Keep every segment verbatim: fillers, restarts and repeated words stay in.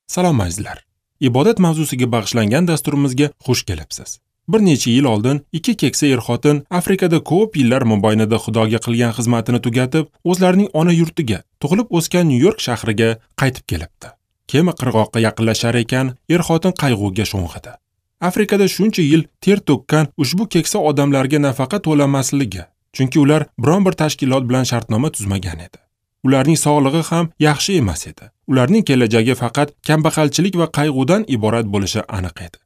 Salom azizlar. Ibodat mavzusiga bag'ishlangan dasturimizga xush kelibsiz. Bir necha yil oldin ikki keksa er-xotin Afrikada ko'p yillar mobaynida Xudoga qilgan xizmatini tugatib, o'zlarining ona yurtiga, tug'ilib o'sgan Nyu-York shahriga qaytib kelibdi. Kema qirg'oqqa yaqinlashar ekan, er-xotin qayg'uga sho'ng'idi. Afrikada shuncha yil ter to'kkan ushbu keksa odamlarga nafaqa to'lamasligi, chunki ular biron bir tashkilot bilan shartnoma tuzmagan edi. Ularning sog'lig'i ham yaxshi emas edi. Ularning kelajagi faqat kambag'alchilik va qayg'udan iborat bo'lishi aniq edi.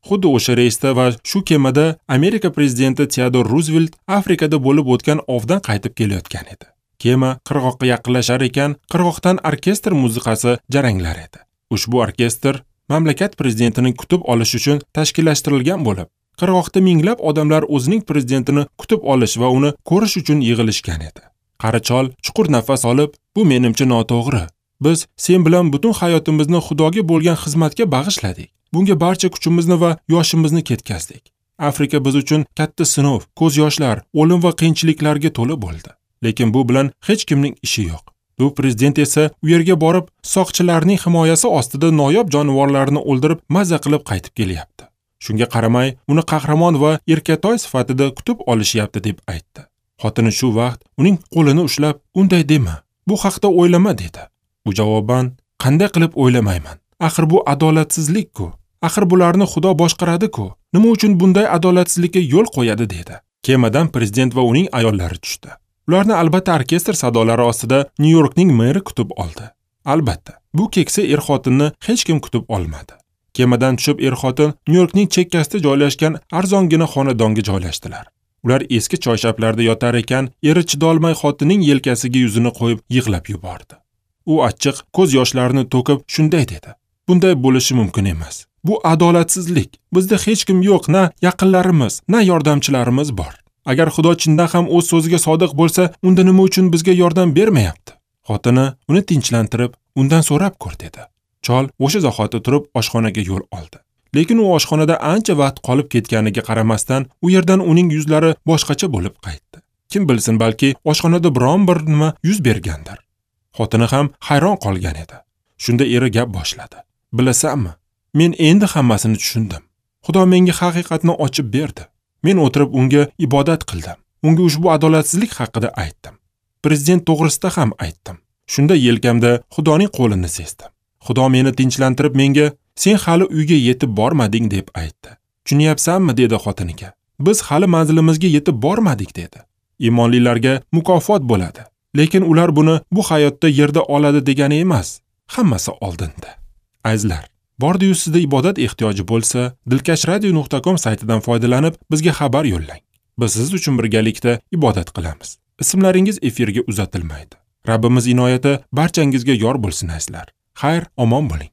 Xuddi o'sha reysda va shu kemada Amerika prezidenti Teodor Ruzvelt Afrikada bo'lib o'tgan ovdan qaytib kelayotgan edi. Kema qirg'oqqa yaqinlashar ekan, qirg'oqdan orkestr musiqasi jaranglar edi. Ushbu orkestr mamlakat prezidentini kutib olish uchun tashkillashtirilgan bo'lib, qirg'oqda minglab odamlar o'zining prezidentini kutib olish va uni ko'rish uchun yig'ilishgan edi. Qari chol chuqur nafas olib, "Bu menimcha noto'g'ri. Biz sen bilan butun hayotimizni Xudoga bo'lgan xizmatga bag'ishladik. Bunga barcha kuchimizni va yoshimizni ketkazdik. Afrika biz uchun katta sinov, ko'z yoshlar, o'lim va qiyinchiliklarga to'la bo'ldi. Lekin bu bilan hech kimning ishi yo'q. Bu prezident esa u yerga borib, soqchilarning himoyasi ostida noyob jonivorlarni o'ldirib, maza qilib qaytib kelyapti. Shunga qaramay, uni qahramon va erkatoy sifatida kutib olishyapti" deb aytdi. Xotini shu vaqt uning qo'lini ushlab, "Unday dema, bu haqda o'ylama" dedi. U javoban, "Qanday qilib o'ylamayman? Axir bu adolatsizlik-ku. Axir bularni Xudo boshqaradi-ku. Nima uchun bunday adolatsizlikka yo'l qo'yadi?" dedi. Kemadan prezident va uning ayollari tushdi. Ularni albatta orkestr sadolari ostida Nyu-Yorkning meri kutib oldi. Albatta, bu keksa er-xotinni hech kim kutib olmadi. Kemadan tushib er-xotin Nyu-Yorkning chekkasida joylashgan arzongina xonadonga joylashdilar. Ular eski choyshablarda yotar ekan, eri chidolmay xotinning yelkasiga yuzini qo'yib yig'lab yubordi. U achchiq ko'z yoshlarini to'kib shunday dedi: "Bunday bo'lishi mumkin emas. Bu adolatsizlik. Bizda hech kim yo'q, na yaqinlarimiz, na yordamchilarimiz bor. Agar Xudo chindan ham o'z so'ziga sodiq bo'lsa, unda nima uchun bizga yordam bermayapti?" Xotini uni tinchlantirib, undan so'rab ko'r dedi. Chol o'sha zahoti turib oshxonaga yo'l oldi. Lekin u oshxonada ancha vaqt qolib ketganiga qaramasdan, u yerdan uning yuzlari boshqacha bo'lib qaytdi. Kim bilsin, balki oshxonada biron bir nima yuz bergandir. Xotini ham hayron qolgan edi. Shunda eri gap boshladi. "Bilasanmi, men endi hammasini tushundim. Xudo menga haqiqatni ochib berdi. Men o'tirib unga ibodat qildim. Unga ushbu adolatsizlik haqida aytdim. Prezident to'g'risida ham aytdim. Shunda yelkamda Xudoning qo'lini sezdim. Xudo meni tinchlantirib menga, sen hali uyga yetib bormading deb aytdi. Tushunyapsanmi?" dedi xotiniga. "Biz hali manzilimizga yetib bormadik" dedi. Iymonlilarga mukofot bo'ladi. Lekin ular buni bu hayotda yerda oladi degani emas. Hammasi oldinda. Azizlar, bordi-yu sizda ibodat ehtiyoji bo'lsa, dilkash radio nuqta com saytidan foydalanib bizga xabar yo'llang. Biz siz uchun birgalikda ibodat qilamiz. Ismlaringiz efirga uzatilmaydi. Rabbimiz inoyati barchangizga yor bo'lsin azizlar. Xayr, omon bo'ling.